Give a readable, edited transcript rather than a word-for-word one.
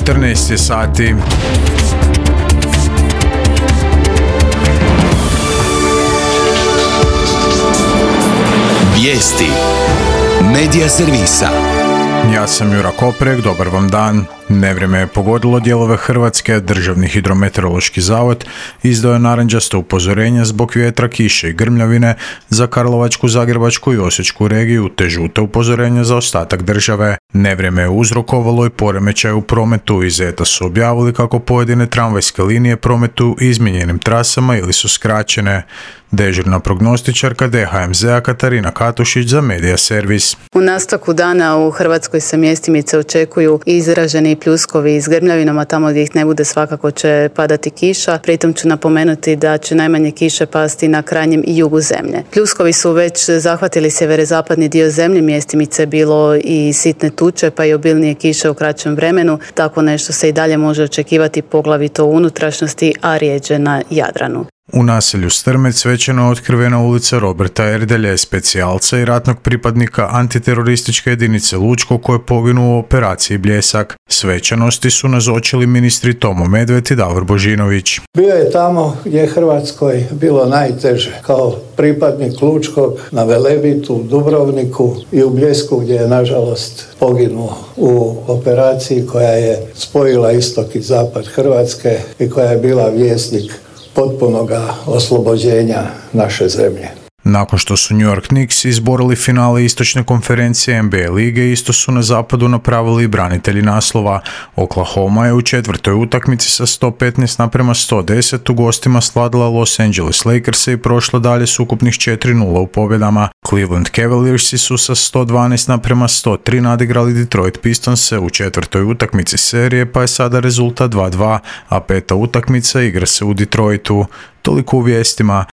14 je sati. Vijesti Medija servisa. Ja sam Jura Koprek, dobar vam dan. Nevrijeme je pogodilo dijelove Hrvatske, Državni hidrometeorološki zavod izdao je narančasto upozorenje zbog vjetra, kiše i grmljavine za Karlovačku, Zagrebačku i Osječku regiju, te žuto upozorenje za ostatak države. Nevrijeme je uzrokovalo i poremećaj u prometu. Iz ETA su objavili kako pojedine tramvajske linije prometuju izmijenjenim trasama ili su skraćene. Dežurna prognostičarka DHMZ-a Katarina Katušić za Medija servis. U nastavku dana u Hrvatskoj se mjestimice očekuju izraženi pljuskovi s grmljavinama, tamo gdje ih ne bude svakako će padati kiša. Pritom ću napomenuti da će najmanje kiše pasti na krajnjem i jugu zemlje. Pljuskovi su već zahvatili sjeverozapadni dio zemlje, mjestimice bilo i sitne tuče pa i obilnije kiše u kraćem vremenu. Tako nešto se i dalje može očekivati poglavito u unutrašnjosti, a rijeđe na Jadranu. U naselju Strmec svečano je otkrivena ulica Roberta Erdelje, specijalca i ratnog pripadnika antiterorističke jedinice Lučko koji je poginuo u operaciji Bljesak. Svečanosti su nazočili ministri Tomo Medved i Davor Božinović. Bio je tamo gdje je Hrvatskoj bilo najteže, kao pripadnik Lučkog na Velebitu, Dubrovniku i u Bljesku gdje je nažalost poginuo u operaciji koja je spojila istok i zapad Hrvatske i koja je bila vjesnik potpunoga oslobođenja naše zemlje. Nakon što su New York Knicks izborili finale istočne konferencije NBA lige, isto su na zapadu napravili i branitelji naslova. Oklahoma je u četvrtoj utakmici sa 115:110 u gostima sladila Los Angeles Lakerse i prošla dalje s ukupnih 4-0 u pobjedama. Cleveland Cavaliersi su sa 112:103 nadigrali Detroit Pistonse u četvrtoj utakmici serije, pa je sada rezultat 2-2, a peta utakmica igra se u Detroitu. Toliko u vijestima.